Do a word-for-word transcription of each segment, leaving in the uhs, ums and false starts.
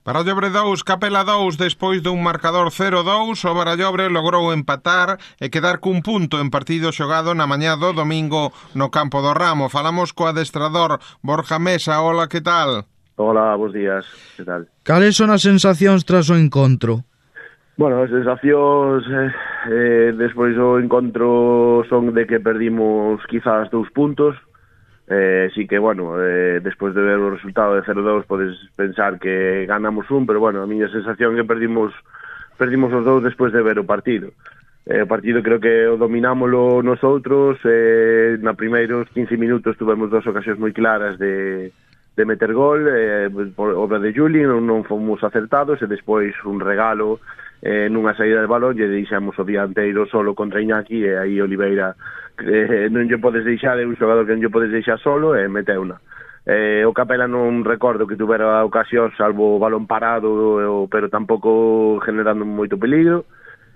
Barallobre dous, Capela dous, despois dun marcador cero dous, o Barallobre logrou empatar e quedar cun punto en partido xogado na mañá do domingo no campo do Ramo. Falamos co adestrador Borja Mesa. Hola, que tal? Hola, bons días, que tal? Cales son as sensacións tras o encontro? Bueno, as sensacións eh, eh, despois do encontro son de que perdimos quizás dous puntos. Eh, sí que, bueno, eh, despois de ver o resultado de cero dous podes pensar que ganamos un, pero, bueno, a miña sensación é que perdimos perdimos os dous despois de ver o partido. Eh, o partido creo que o dominámoslo nosotros, eh, na primeiros quince minutos tuvemos dos ocasións moi claras de, de meter gol, eh, por obra de Juli, non, non fomos acertados, e despois un regalo eh, nunha saída de balón, e deixamos o dianteiro solo contra Iñaki, e aí Oliveira eh, non lle podes deixar, é un xogador que non lle podes deixar solo, e meteuna. Eh, o Capela non recordo que tuvera ocasión, salvo o balón parado, pero tampouco generando moito peligro.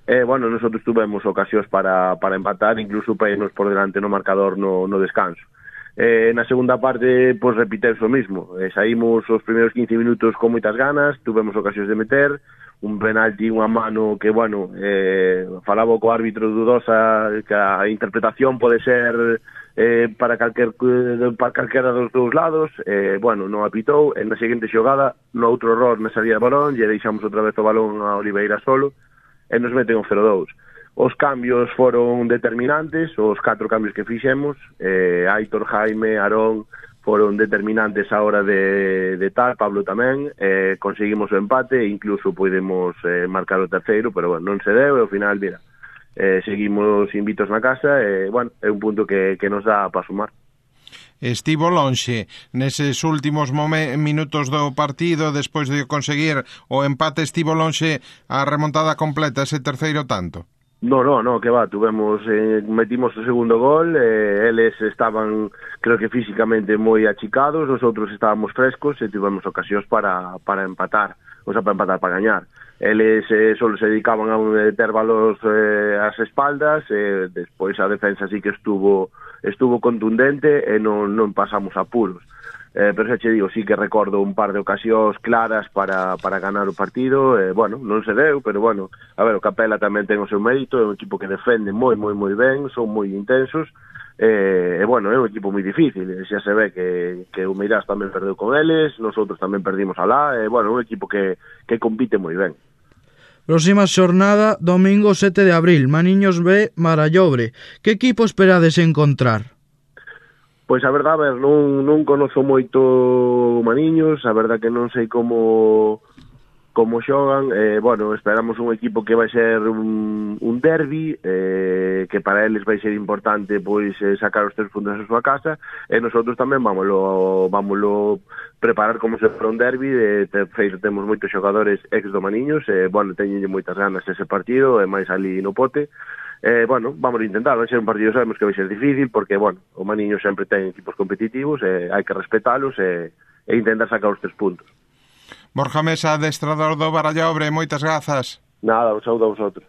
Eh, bueno, nosotros tuvemos ocasións para, para empatar, incluso para irnos por delante no marcador no, no descanso. Eh, na segunda parte, pois, repiteuse o mismo. Eh, saímos os primeiros quince minutos con moitas ganas, tuvemos ocasións de meter, un penalti, unha mano que, bueno, eh, falaba co árbitro dudosa, que a interpretación pode ser eh, para, calquer, para calquera dos dous lados, eh, bueno, non apitou, en na seguinte xogada, no outro error na salida de balón, e deixamos outra vez o balón a Oliveira solo, e nos meten o cero dous. Os cambios foron determinantes, os catro cambios que fixemos, eh, Aitor, Jaime, Aarón, foron determinantes a hora de, de tal, Pablo tamén, eh, conseguimos o empate e incluso podemos eh, marcar o terceiro, pero, bueno, non se deu, e ao final, mira, eh, seguimos invitos na casa, e, bueno, é un punto que, que nos dá para sumar. Estivo lonxe neses últimos minutos do partido, despois de conseguir o empate, estivo lonxe a remontada completa, ese terceiro tanto? No, no, no, que va, tuvemos, eh, metimos o segundo gol, eh, eles estaban, creo que físicamente moi achicados, nosotros estábamos frescos e tivemos ocasións para, para empatar, o sea, para empatar, para gañar. Eles eh, solo se dedicaban a meter balos eh, ás espaldas, e eh, despois a defensa sí que estuvo estuvo contundente e non, non pasamos apuros. Eh, pero xa che digo, sí que recordo un par de ocasións claras para, para ganar o partido, e, eh, bueno, non se deu, pero, bueno, a ver, o Capela tamén ten o seu mérito, é un equipo que defende moi, moi, moi ben, son moi intensos, e, eh, bueno, é un equipo moi difícil, e xa se ve que, que o Meirás tamén perdeu con eles, nosotros tamén perdimos alá, e, bueno, é un equipo que, que compite moi ben. Próxima xornada, domingo sete de abril, Maniños B, Barallobre. Que equipo esperades encontrar? Pois a verdade, a ver, non, non conozo moito Maniños, a verdade que non sei como como xogan, eh, bueno, esperamos un equipo que vai ser un, un derbi, eh, que para eles vai ser importante pois eh, sacar os tres puntos a súa casa, e nosotros tamén vámoslo, vámoslo preparar como se for un derbi, de, de feito temos moitos xogadores ex do Maniños, e, eh, bueno, teñenlle moitas ganas ese partido, e máis ali no Pote. Eh, bueno, vamos a intentar, vai ser un partido, sabemos que vai ser difícil, porque, bueno, o Maniño sempre ten equipos competitivos, e hai que respetalos e, e intentar sacar os tres puntos. Borja Mesa, adestrador do Barallobre, moitas grazas. Nada, un saúdo a vosotros.